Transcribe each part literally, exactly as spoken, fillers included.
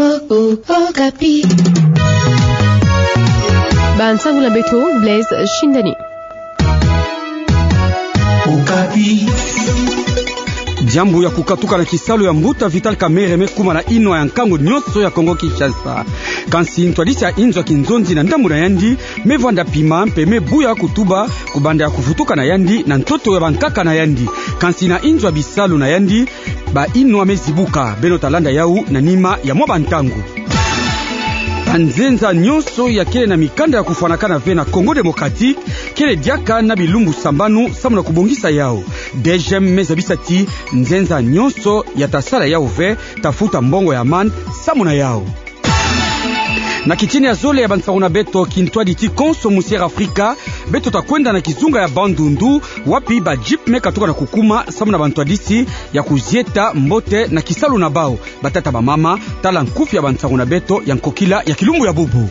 Okapi. Bansangu na beto, Blaise Shindani. Diambu ya kukatuka na kisalu ya mbuta Vital Kamerhe me kuma na inwa ya nkangu nyonso ya Kongo Kinshasa. Kansi ntwadisi ya inzo ya kinzonzi na ndambu na yandi me vwanda pima mpe me buya kutuba kubanda ya kuvutuka na yandi na ntoto ya bankaka na yandi. Kansi na inzo ya bisalu na yandi, ba inwa me zibuka. Beno ta landa yau na nima ya mwa bantangu. Banzenza nyonso ya kele na mikanda ya kufwanakana ve na Congo Démocratique kele diaka na bilumbu sambanu samu na kubongisa yau. DGM me zabisa ti nzenza nyonso ya ta sala yau ve ta futa mbongo ya amande samu na yau. Na kitini ya zole ya bansangu na beto, kintwadi ti konso mu Sierra Afrika, beto ta kwenda na kizunga ya Bandundu, wapi ba jeep me katuka na kukuma samu na bantwadisi ya kuzieta mbote na kisalu na bau. Batata, bamama, tala nkufi ya bansangu na beto ya nkokila ya kilumbu ya bubu.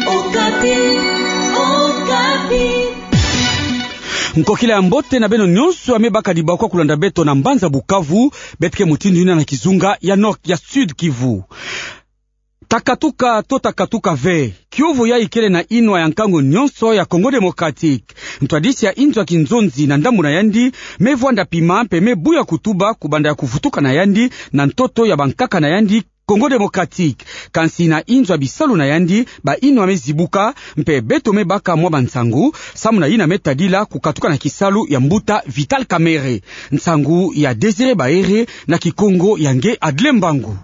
Okapi, Okapi. Nkokila ya mbote na beno nyonso ya me baka dibakwa kulanda beto na mbanza Bukavu, beto ke mutindu yina na kizunga ya Nord, ya Sud Kivu. Ta katuka to ta katuka ve, kiuvu yayi kele na inwa ya nkangu nyonso ya Congo Démocratique. Ntwadisi ya inzo ya kinzonzi na ndambu na yandi me vwanda pima mpe me buya kutuba kubanda ya kuvutuka na yandi na ntoto ya bankaka na yandi Congo Démocratique. Kansi na inzo ya bisalu na yandi, ba inwa me zibuka, mpe beto me baka mwa bansangu samu na yina me tadila kukatuka na kisalu ya mbuta Vital Kamerhe. Nsangu ya Désiré Baere, na Kikongo ya nge Adlin Mbangu.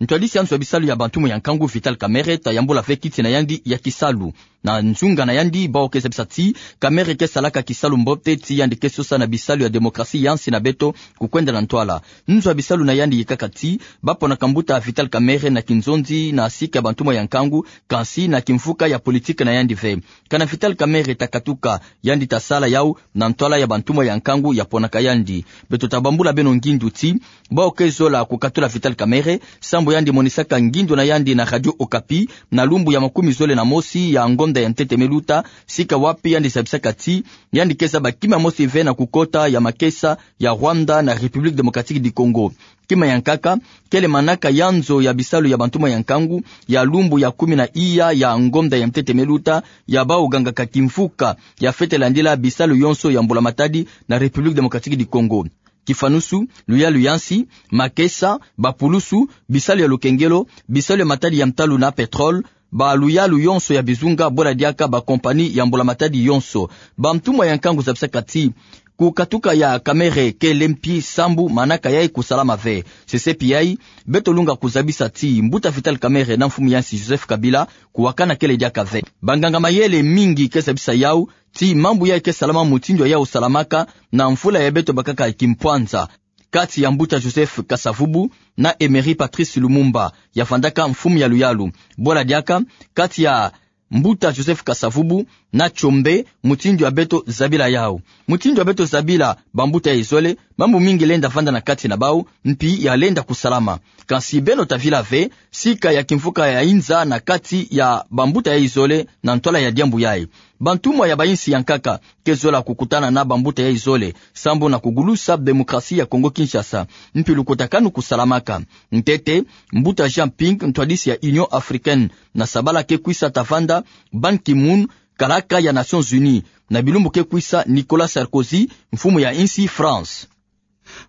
Ntwadisi ya nzo ya bisalu ya bantumwa ya nkangu Vital Kamerhe ta yambula ve kiti na yandi ya kisalu. Na nzunga na yandi, bawu ke zabisa ti Kamerhe ke salaka kisalu mbote ti yandi ke sosa na bisalu ya démocratie ya nsi na beto kukwenda na ntwala. Nzo ya bisalu na yandi yikaka ti ba ponaka mbuta Vital Kamerhe na kinzonzi na sika ya bantumwa ya nkangu, kansi na kimvuka ya politique na yandi ve. Kana Vital Kamerhe ta katuka, yandi ta sala yau na ntwala ya bantumwa ya nkangu ya ponaka yandi. Beto ta bambula beno ngindu ti bawu ke zola kukatula Vital Kamerhe sambu yandi monisaka ngindu na yandi na Radio Okapi na lumbu ya makumi zole na mosi ya ngonda ya ntete me luta, sika wapi yandi zabisaka ti yandi ke zaba kima mosi ve na kukota ya makesa ya Rwanda na République Démocratique du Congo. Kima ya nkaka kele manaka ya nzo ya bisalu ya bantumwa ya nkangu ya lumbu ya kumi na iya ya ngonda ya ntete me luta, ya bawu gangaka kimvuka ya fwete landila bisalu yonso ya mbula-matadi na République Démocratique du Congo. Kifanusu, luyalu ya nsi, makesa, bapulusu, bisalu ya lukengelo, bisalu ya matadi ya ntalu na pétrole, baluyalu yonso ya bizunga, bwela diaka bacompagnie ya mbula-matadi yonso. Bantumwa ya nkangu zabisaka ti kukatuka ya Kamerhe kele mpi sambu manaka yayi kusalama ve. Sesepi yayi, beto lunga kuzabisa ti mbuta Vital Kamerhe na mfumu ya nsi Joseph Kabila kuwakana kele diaka ve. Banganga-mayele mingi ke zabisa yau ti mambu yayi ke salama mutindu yayi salamaka na mvula ya beto bakaka kimpwanza, kati ya mbuta Joseph Kasavubu na Emery Patrice Lumumba, ya vandaka mfumu ya luyalu. Bwela diaka kati ya mbuta Joseph Kasavubu na Tshombe, mutindu ya beto zabila yau. Mutindu ya beto zabila bambuta yayi zole, mambu mingi lenda vanda na kati na bawu, mpi ya lenda kusalama. Kansi beno ta vila ve sika ya kimvuka ya inza na kati ya bambuta yayi zole na ntwala ya diambu yayi. Bantumwa ya bayinsi ya nkaka ke zola kukutana na bambuta yayi zole sambu na kugulusa démocratie ya Congo Kinshasa, mpi lukutakanu kusalamaka. Ntete, mbuta Jean Ping, ntwadisi ya Union Africaine, na sabala ke kwisa ta vanda Ban Ki-moon, kalaka ya Nations Unies, na bilumbu ke kwisa Nicolas Sarkozy, mfumu ya insi France.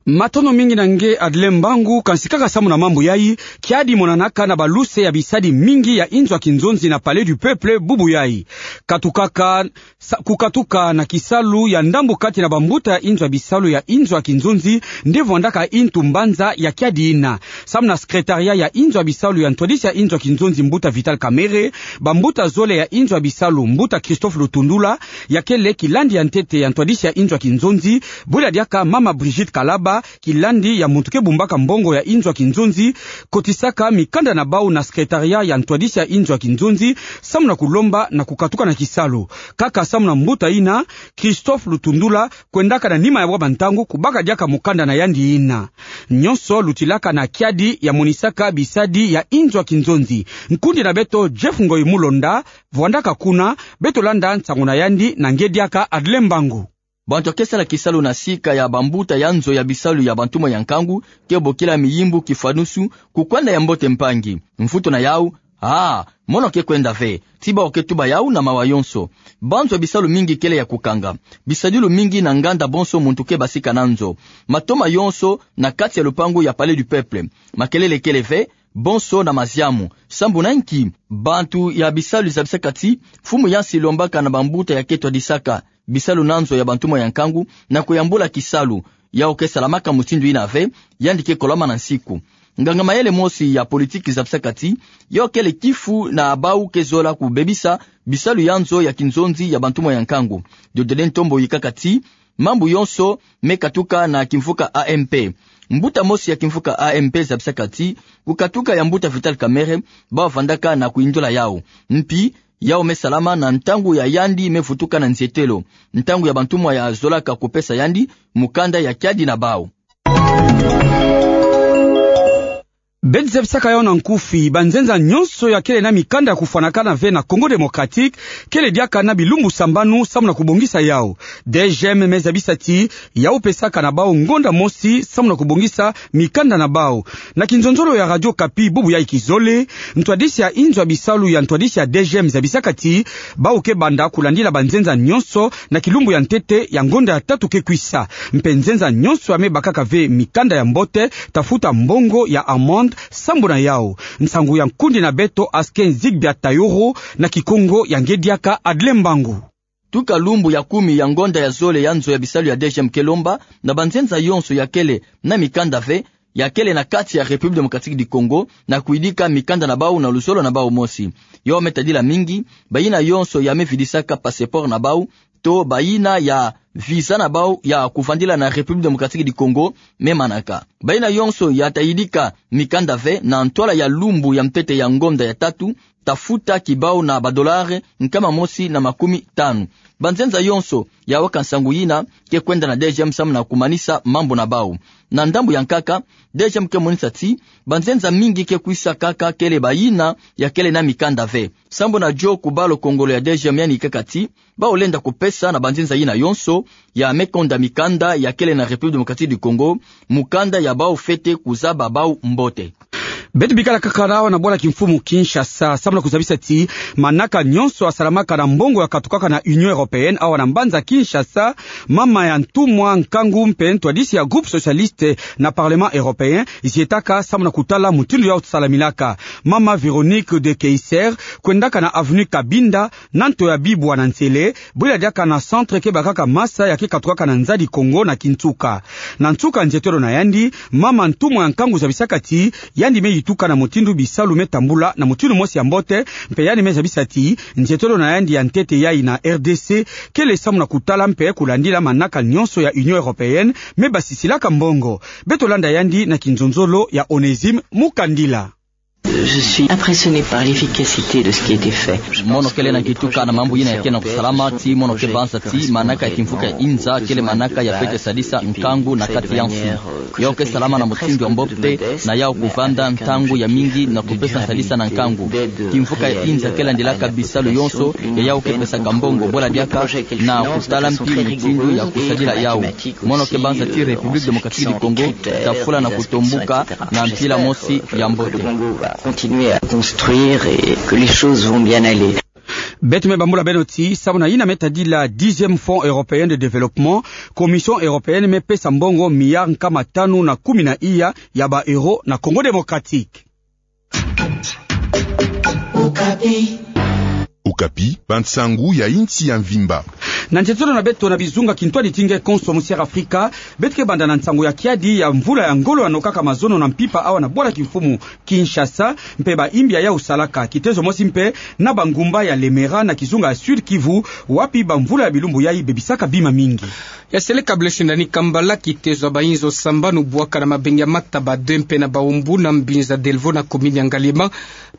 Matondo mingi na nge Adlin Mbangu, kansi kaka samu na mambu yayi, kiadi monanaka na baluse ya bisadi mingi ya inzo ya kinzonzi na Palais du Peuple bubu yayi. Katukaka, sa, kukatuka na kisalu ya ndambu kati na bambuta ya inzo ya bisalu ya inzo ya kinzonzi nde vwandaka intu mbanza ya kiadi yina. Samu na secrétariat ya inzo ya bisalu ya ntwadisi ya inzo ya kinzonzi mbuta Vital Kamerhe, bambuta zole ya inzo ya bisalu mbuta Christophe Lutundula, ya kele kilandi ya ntete ya ntwadisi ya inzo ya kinzonzi, bwela diaka mama Brigitte Kalaba, kilandi ya muntu ke bumbaka mbongo ya inzo ya kinzonzi, kotisaka mikanda na bawu na secrétariat ya ntwadisi ya inzo ya kinzonzi, samu na kulomba na kukatuka na kisalu. Kaka samu na mbuta yina, Christophe Lutundula, kwendaka na nima ya bwa bantangu kubaka diaka mukanda na yandi yina. Nyonso lutilaka na kiadi ya monisaka bisadi ya inzo ya kinzonzi. Nkundi na beto Jeff Ngoyi Mulonda, vwandaka kuna, beto landa nsangu na yandi na nge diaka Adlin Mbangu. Bantu ya ke sala kisalu na sika ya bambuta ya nzo ya bisalu ya bantumwa ya nkangu ke bokila miyimbu kifwanusu, kukwenda ya mbote mpangi. Mvutu na yau, ah, mono ke kwenda ve, ti bawu ke tuba yau na mawa yonso. Banzo ya bisalu mingi kele ya kukanga. Bisadilu mingi na nganda bonso muntu ke basika na nzo. Matoma yonso na kati ya lupangu ya Palais du Peuple. Makelele kele ve, bonso na maziamu. Sambu na nki? Bantu ya bisalu zabisaka ti, mfumu ya nsi lombaka na bambuta ya ke twadisaka bisalu na nzo ya bantumwa ya nkangu na kuyambula kisalu. Yau ke salamaka mutindu yina ve, yandi ke kolama na nsiku. Nganga mayele mosi ya politiki zabisaka ti, yau kele kifu na bawu ke zola kubebisa bisalu ya nzo ya kinzonzi ya bantumwa ya nkangu. Diodone Ntombo yikaka ti, mambu yonso me katuka na kimvuka A M P. Mbuta mosi ya kimvuka A M P zabisaka ti, kukatuka ya mbuta Vital Kamerhe, bawu vandaka na kuyindula yau. Mpi, yau me salama na ntangu ya yandi me vutuka na nzietelo. Ntangu ya bantumwa ya zolaka kupesa yandi mukanda ya kiadi na bawu. Beto zabisaka yau na nkufi, banzenza nyonso ya kele na mikanda ya kufwanakana ve na Congo Démocratique, kele diaka na bilumbu sambanu samu na kubongisa yau. D G M me zabisa ti, yau pesaka na bawu ngonda mosi samu na kubongisa mikanda na bawu. Na kinzonzolo ya Radio Okapi bubu ya ikizole, ntwadisi ya inzo ya bisalu ya ntwadisi ya D G M zabisaka ti, bawu ke banda kulandila banzenza nyonso na kilumbu ya ntete ya ngonda ya tatu ke kwisa. Mpe nzenza nyonso ya me bakaka ve mikanda ya mbote, ta futa mbongo ya amende sambu na yau. Nsangu ya nkundi na beto Asken Zigbia Tayoro, na Kikongo ya nge diaka Adle Mbangu. Tuka lumbu ya kumi ya ngonda ya zole ya nzo ya bisalu ya D G M ke lomba na banzenza yonso ya kele na mikanda ve, ya kele na kati ya République Démocratique du Congo, na kuyidika mikanda na bawu na luzolo na bawu mosi. Yau me tadila mingi, bayina yonso ya me vidisaka passeport na bawu, to bayina ya visa na bawu ya kuvandila na République Démocratique du Congo, me manaka. Bayina yonso ya ta yidika mikanda ve na ntwala ya lumbu ya ntete ya ngonda ya tatu, ta futa kibawu na badolare nkama mosi na makumi tanu. Banzenza yonso ya waka nsangu yina ke kwenda na D G M samu na kumanisa mambu na bawu. Na ndambu ya nkaka, D G M ke monisa ti, banzenza mingi ke kwisa kaka kele bayina ya kele na mikanda ve. Sambu na dio kubalo kongolo ya D G M yandi yikaka ti, bawu lenda kupesa na banzenza yina yonso ya me konda mikanda ya kele na République Démocratique du Congo, mukanda ya bawu fwete kuzaba bawu mbote. Beto bikala kaka awa na bwala kimfumu Kinshasa, samu na kuzabisa ti, manaka nyonso ya salamaka na mbongo ya katukaka na Union Européenne awa na mbanza Kinshasa, mama ya ntumwa nkangu mpe ntwadisi ya Groupe Socialiste na Parlement Européen, zietaka samu na kutala mutindu yau salamilaka. Mama Véronique de Keyser kwendaka na avenue Cabinda, na nto ya bibwa na nsele, bwela diaka na centre ke bakaka masa ya ke katukaka na nzadi Kongo na kinsuka. Na nsuka nzietelo na yandi, mama ntumwa ya nkangu zabisaka ti, yandi me yituka na mutindu bisalu me tambula na mutindu mosi ya mbote, mpe yandi me zabisa ti, nzietelo na yandi ya ntete yai na R D C, kele samu na kutala mpe kulandila manaka nyonso ya Union Européenne, me basisilaka mbongo. Beto landa yandi na kinzonzolo ya Onésime Mukandila. Je suis impressionné par l'efficacité de ce qui a été fait. Mono kele na kituka na mambu yina ya ke na kusalama, ti mono ke banza ti manaka ya kimvuka ya inza kele manaka ya fwete sadisa nkangu na kati ya mfumu. Yau ke salama na mutindu ya mbote, na yau kuvanda ntangu ya mingi na kupesa sadisa na nkangu. Kimvuka ya inza ke landilaka bisalu yonso ya yau ke pesaka mbongo, bwela diaka na kutala mpi mutindu ya kusadila yau. Mono ke banza ti République Démocratique du Congo ta fula na kutombuka na mpila mosi ya mbote. Continuer à construire et que les choses vont bien aller. Beto me bambula beno ti, samu na yina me tadila dixième Fonds européen de développement, Commission européenne me pesa mbongo milliard nkama tanu na kumi na iya ya ba euro na Congo Démocratique. Okapi, bansangu ya insi ya mvimba. Na nzietolo na beto na bizunga kintwadi ti nge konso, Musière Afrika, beto ke banda na nsangu ya kiadi ya mvula ya ngolo ya nokaka mazono na mpimpa awa na bwala kimfumu Kinshasa, mpe ba imbi ya yau salaka. Kitezo mosi mpe na bangumba ya Lemera na kizunga ya Sud-Kivu, wapi bamvula ya bilumbu yai bebisaka bima mingi. Ya seleka Blaise Ndani Kambala, kitezo ya bainzo sambanu bwaka na mabengi ya Mataba deux mpe na Baombo na mbinza Delvaux na commune ya Ngaliema.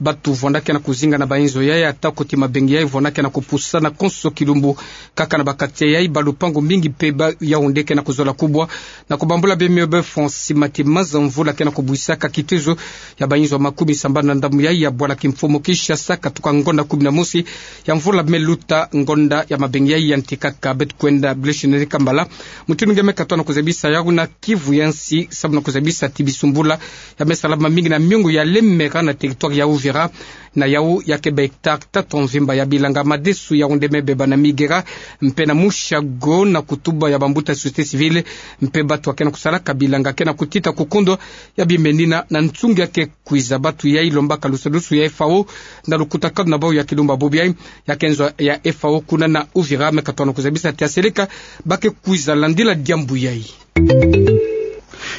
Bantu vwandaka na kuzinga na bainzo yai, atako ti mabengi yai vwandaka na kupusana konso kilumbu kaka Na ba quartier yai, ba lupangu mingi mpe ba Yaoundé ke na kuzola kubwa na kubambula bemio be fond cimetière. Maza mvula ke na kubwisaka kitezo ya bayinzo makumi sambanu na ndambu yai ya bwala kimfumu Kinshasa katuka ngonda kumi na mosi ya mvula me luta, ngonda ya mabengi yai yantikaka. Beto kwenda Blaise Nene Kambala, mutindu nge me katoa na kuzabisa yau na Kivu ya nsi, samu na kuzabisa ti bisumbula ya me salama mingi na miongo ya Lemera na territoire ya Uvira, na yau ya ke ba hectare tatu mvimba ya bilanga. Madesu Yaoundé me beba na Miguera mpe na Mouchago na kutuba ya bambuta société civile mpe batu ya ke na kusalaka bilanga ke na kutita kukundu ya bimenina na nsungi ya ke kwiza. Batu yai lombaka lusadusu ya F A O na lukutakanu na bau ya kilumbu bobo yai. Ya ke nzo ya F A O kuna na Uvira me katoa na kuzabisa ti aseleka ba ke kwiza landila diambu yai.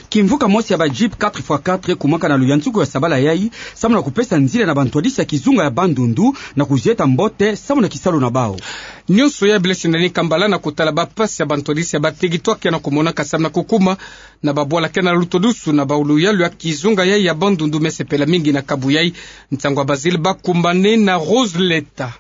Kimvuka mosi ya ba jeep quatre fois quatre ekumaka na luyantiku ya sabala yai, samu na kupesa nzila na bantwadisi ya kizunga ya Bandundu na kuzieta mbote samu na kisalu na bau. Nionso ya Blaise Nene Kambala na kutala bampasi ya bantwadisi ya ba territoire ke na kumonaka samu na kukuma na babwala ke na lutodusu na bau. Luyalu ya kizunga yai ya Bandundu me sepela mingi na kabu yai. Nsangu ya Basile Bakumbane na Rose Leta.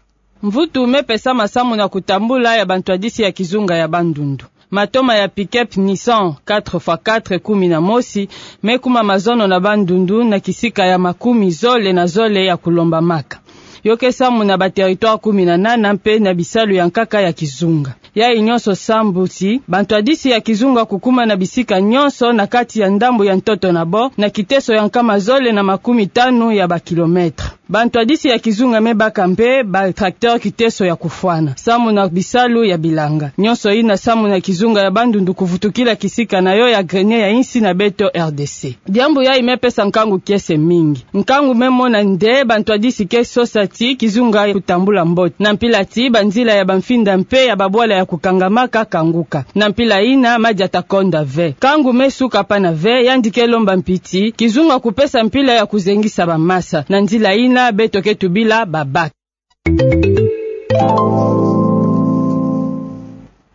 Mvutu me pesama samu na kutambula ya bantwadisi ya kizunga ya Bandundu. Matoma ya pick-up Nissan quatre fois quatre kumi na mosi me kuma mazono na Bandundu na kisika ya makumi zole na zole ya kulombamaka. Yo ke samu na ba territoire kumi na nana mpe na bisalu ya nkaka ya kizunga. Yai nionso samu ti bantwadisi ya kizunga kukuma na bisika nionso na kati ya ndambu ya ntoto na bau, na kiteso ya nkama zole na makumi tanu ya ba kilomètre. Bantwadisi ya kizunga me baka mpe ba tracteur kiteso ya kufwana samu na bisalu ya bilanga. Nionso ina samu na kizunga ya Bandundu kuvutukila kisika na yo ya grenier ya insi na beto R D C. Diambu yai me pesa nkangu kiese mingi. Nkangu me mona nde bantwadisi ke sosa ti kizunga kutambula mbote, na mpila ti banzila ya bamfinda mpe ya babwala ya kukangamaka kanguka. Na mpila ina, madia ta konda ve. Nkangu me suka pana ve, yandi ke lomba mpi ti kizunga kupesa mpila ya kuzengisa bamasa. Na nzila ina, beto ke tubila babaka.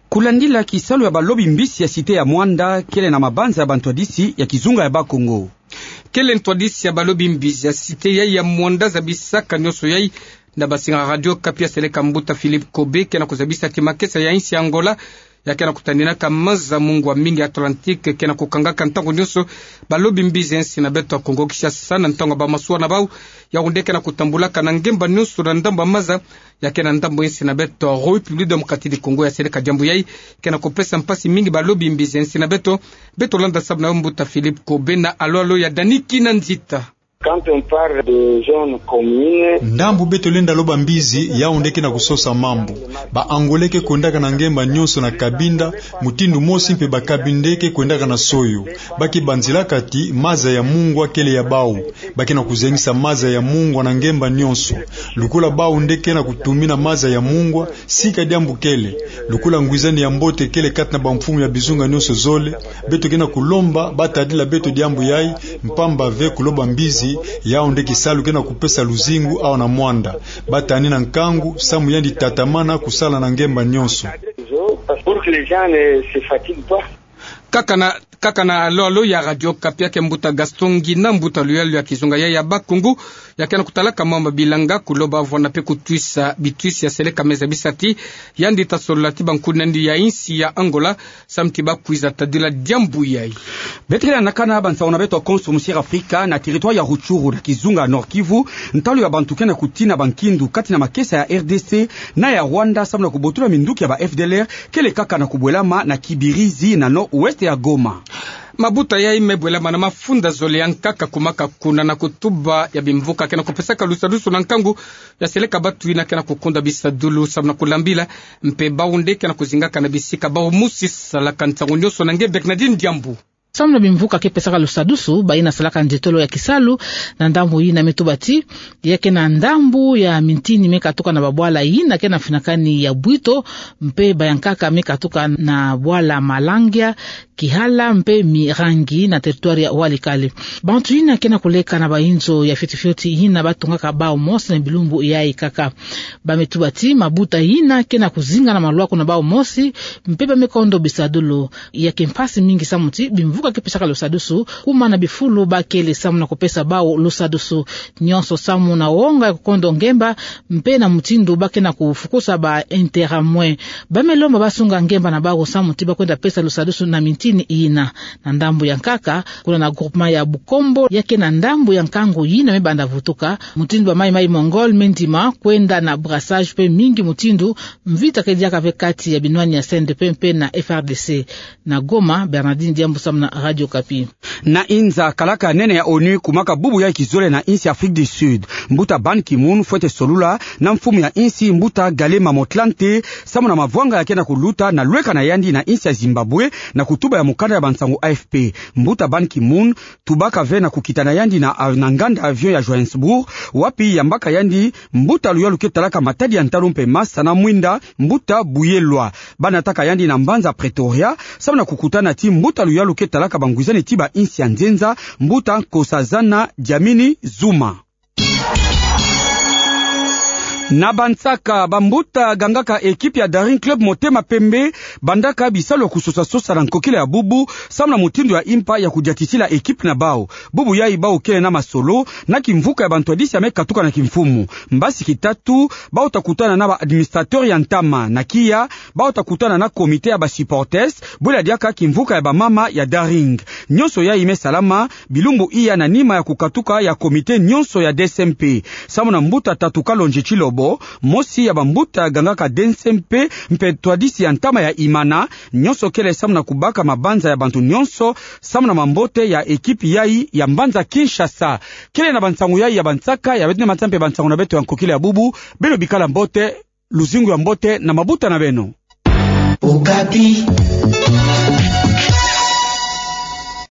Kulandila kisalu ya balobi mbisi ya cité ya Muanda, kele na mabanza ya bantwadisi ya kizunga ya Bas-Congo. Kele ntwadisi ya balobi mbisi ya cité yai ya Muanda zabisaka nionso yai na basinga Radio Okapi ya seleka mbuta Philippe Kobe, ke na kuzabisa ti makesa ya insi ya Angola ya ke na kutaninaka maza mungwa mingi Atlantique, ke na kukangaka ntangu nionso balobi mbisi ya insi na beto ya Congo Kinshasa na ntangu ya bamasuwa na bau. Yaoundé ke na kutambulaka na ngemba nionso na ndambu ya maza ya ke na ndambu ya insi na beto. République Démocratique du Congo ya seleka diambu yai ke na kupesa mpasi mingi balobi mbisi ya insi na beto. Beto landa samu na yo mbuta Philippe Kobe na alo-alo ya Dani Kinanzita. Quand on parle de zone commune, ndambu beto lenda loba mbisi, Yaoundé ke na kusosa mambu. Ba Angolais ke kwendaka na ngemba nionso na Cabinda, mutindu mosi mpe ba Cabindais ke kwendaka na Soyo. Ba ke banzilaka ti maza ya mungwa kele ya bau. Ba ke na kuzengisa maza ya mungwa na ngemba nionso. Lukula bau nde ke na kutumina maza ya mungwa, sika diambu kele. Lukula ngwizani ya mbote kele kati na bamfumu ya bizunga nionso zole, beto ke na kulomba ba tadila beto diambu yai, mpamba ve kuloba mbisi, yau nde kisalu ke na kupesa luzingu awa na Muanda. Ba tanina nkangu, samu yandi tatamana kusala na ngemba nionso. Pour que les gens ne se fatiguent pas. Kaka na, kaka na alo-alo ya Radio Okapi, ya ke mbuta Gaston Ngina, mbuta luyalu ya kizunga yai ya Bas-Congo, ya ke na kutalaka mambu ya bilanga, kuloba vwanda mpe kutwisa bitwisi ya seleka, me zabisa ti yandi ta solola ti bankuna na yandi ya insi ya Angola, samu ti ba kwiza tadila diambu yai. Beto ke lanakana bansangu na beto ya Konso Musiera Afrika. Na territoire ya Rutshuru na kizunga Nord-Kivu, ntalu ya bantu ke na kutina bankindu kati na makesa ya R D C na ya Rwanda, samu na kubotula minduki ya ba F D L R, kele kaka na kubwelama na Kibirizi, na nord-ouest ya Goma. Mabuta yai me bwelama na mafunda zole ya nkaka kumaka kuna na kutuba ya bimvuka ke na kupesaka lusadusu na nkangu ya seleka batu yina ke na kukunda bisadulu samu na kulambila, mpe bau nde ke na kuzingaka na bisika bau musi salaka. Nsangu nionso na nge Bernadine Diambu. Samu na bimvuka ke pesaka lusadusu, bayina salaka nzietolo ya kisalu na ndambu yina me tuba ti ya ke na ndambu ya mintini me katuka na babwala yina ke na finakani ya bwito, mpe ba ya nkaka me katuka na bwala Malangia, Kihala mpe Mirangi na territoire ya Walikale. Bantu yina ke na kuleka na bayinzo ya fioti fioti yina ba tongaka bau mosi na bilumbu yai kaka. Ba me tuba ti mabuta yina ke na kuzinga na maluaku na bau mosi, mpe ba me kondo bisadulu. Ya ke mpasi mingi samu ti bimvuka ke pesaka lusadusu, kuma na bifulu bakele samu na kupesa bawu lusadusu. Nyonso samu na wonga ya kukondo ngemba, mpe na mutindu ba ke na kufukusa ba intérêt mwe. Ba me lomba basunga ngemba na bawu samu ti ba kwenda pesa lusadusu na mintini yina. Na ndambu ya nkaka, kuna na groupement ya Bukombo, ya ke na ndambu ya nkangu yina me banda vutuka, mutindu ba maï-maï Mongol me ndima kwenda na brassage mpe mingi mutindu, mvita ke diaka ve kati ya binwani ya C N D P mpe na F R D C. Na Goma, Bernardine Diambu samu na Radio Okapi. Na inza, kalaka nene ya ONU kumaka bubu yayi kizole na insi Afrique du Sud. Mbuta Ban Ki-moon fwete solula na mfumu ya insi, mbuta Kgalema Motlanthe, samu na mavwanga ya ke na kuluta na lweka na yandi na insi ya Zimbabwe, na kutuba ya mukanda ya bansangu A F P. Mbuta Ban Ki-moon tubaka ve na kukita na yandi na, na nganda avion ya Johannesburg, wapi yambaka yandi mbuta luyalu ke talaka matadi ya ntalu mpe masa na mwinda, mbuta Buyelwa. Ba nataka yandi na mbanza Pretoria, samu na kukutana ti mbuta luyalu ke talaka bangwizani ti ba insi ya nzenza, mbuta Nkosazana Dlamini-Zuma. Na bansaka, bambuta gangaka ekipi ya Daring Club Motema Pembe bandaka bisalu ya kusosa-sosa na nkokila ya bubu, samu na mutindu ya impa ya kudiatisila ekipi na bawu. Bubu yayi bawu kele na masolo na kimvuka ya bantwadisi ya me katuka na kimfumu. Mbasi kitatu, bawu ta kutana na ba administrateur ya ntama. Na kiya, bawu ta kutana na comité ya ba supporters, bwela diaka kimvuka ya bamama ya Daring. Nyonso yayi me salama bilumbu iya na nima ya kukatuka ya comité nyonso ya D C M P. Samu na mbuta Tatu Kalonji Tshilobo, mosi ya bambuta gangaka D C M P mpe twadisi ya ntama ya Imana, nyonso kele samu na kubaka mabanza ya bantu nyonso, samu na mambote ya ekipi yayi ya mbanza Kinshasa. Kele na bansangu yayi ya bansaka ya beto, ni matsa mpe bansangu na beto ya nkokila ya bubu. Beno bikala mbote, luzingu ya mbote na mabuta na beno. Okapi.